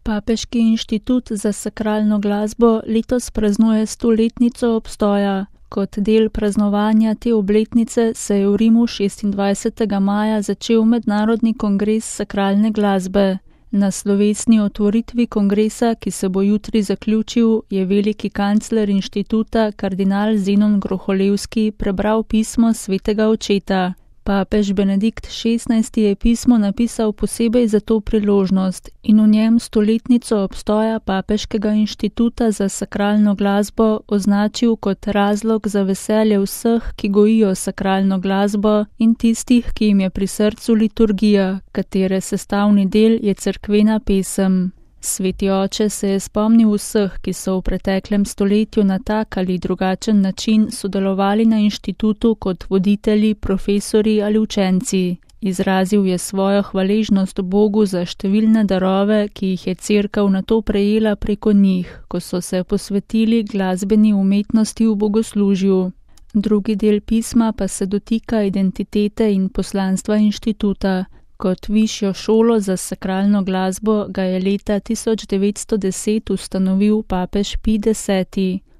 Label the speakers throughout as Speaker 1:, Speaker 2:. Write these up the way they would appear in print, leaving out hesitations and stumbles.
Speaker 1: Papeški inštitut za sakralno glasbo letos praznuje 100-letnico obstoja. Kot del praznovanja te obletnice se je v Rimu 26. maja začel mednarodni kongres sakralne glasbe. Na slovesni otvoritvi kongresa, ki se bo jutri zaključil, je veliki kancler inštituta kardinal Zenon Groholevski prebral pismo svetega očeta. Papež Benedikt XVI. Je pismo napisal posebej za to priložnost in v njem 100-letnico obstoja Papeškega inštituta za sakralno glasbo označil kot razlog za veselje vseh, ki gojijo sakralno glasbo in tistih, ki jim je pri srcu liturgija, katere sestavni del je cerkvena pesem. Sveti oče se je spomnil vseh, ki so v preteklem stoletju na tak ali drugačen način sodelovali na inštitutu kot voditelji, profesori ali učenci. Izrazil je svojo hvaležnost Bogu za številne darove, ki jih je cerkev nato prejela preko njih, ko so se posvetili glasbeni umetnosti v bogoslužju. Drugi del pisma pa se dotika identitete in poslanstva inštituta. Kot višjo šolo za sakralno glasbo ga je leta 1910 ustanovil papež Pij X.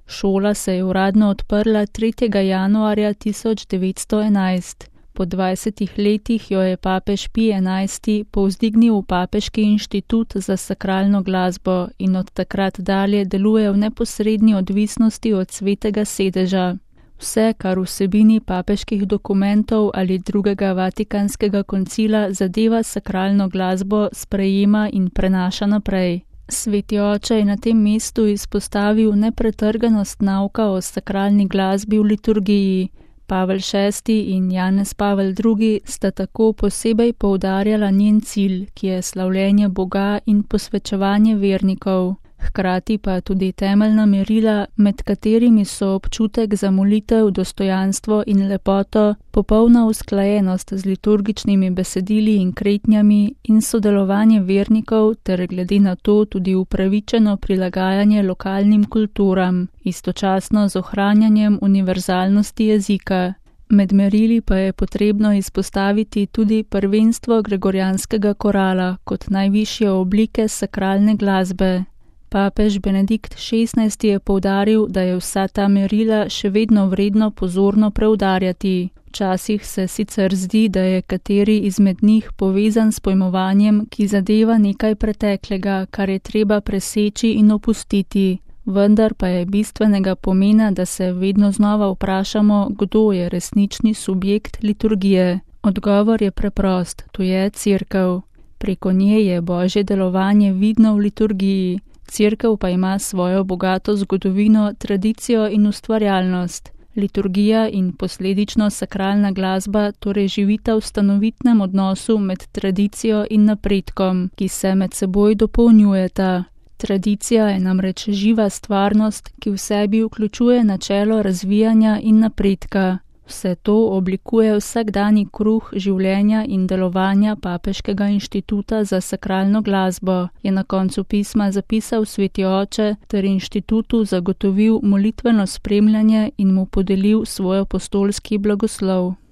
Speaker 1: Šola se je uradno odprla 3. januarja 1911. Po 20 letih jo je papež Pij XI. Povzdignil v Papeški inštitut za sakralno glasbo in od takrat dalje deluje v neposredni odvisnosti od svetega sedeža. Vse, kar vsebini papeških dokumentov ali drugega vatikanskega koncila zadeva sakralno glasbo, sprejema in prenaša naprej. Sveti oče je na tem mestu izpostavil nepretrganost nauka o sakralni glasbi v liturgiji. Pavel VI. In Janez Pavel II. Sta tako posebej poudarjala njen cilj, ki je slavljenje Boga in posvečevanje vernikov. Hkrati pa tudi temeljna merila, med katerimi so občutek za molitev, dostojanstvo in lepoto, popolna usklajenost z liturgičnimi besedili in kretnjami in sodelovanje vernikov ter glede na to tudi upravičeno prilagajanje lokalnim kulturam, istočasno z ohranjanjem univerzalnosti jezika. Med merili pa je potrebno izpostaviti tudi prvenstvo gregorijanskega korala kot najvišje oblike sakralne glasbe. Papež Benedikt XVI. Je poudaril, da je vsa ta merila še vedno vredno pozorno preudarjati. Včasih se sicer zdi, da je kateri izmed njih povezan s pojmovanjem, ki zadeva nekaj preteklega, kar je treba preseči in opustiti. Vendar pa je bistvenega pomena, da se vedno znova vprašamo, kdo je resnični subjekt liturgije. Odgovor je preprost, to je cerkev. Preko nje je Božje delovanje vidno v liturgiji. Cerkev pa ima svojo bogato zgodovino, tradicijo in ustvarjalnost. Liturgija in posledično sakralna glasba torej živita v stanovitnem odnosu med tradicijo in napredkom, ki se med seboj dopolnjujeta. Tradicija je namreč živa stvarnost, ki v sebi vključuje načelo razvijanja in napredka. Vse to oblikuje vsakdanji kruh življenja in delovanja Papeškega inštituta za sakralno glasbo, je na koncu pisma zapisal sveti oče ter inštitutu zagotovil molitveno spremljanje in mu podelil svoj apostolski blagoslov.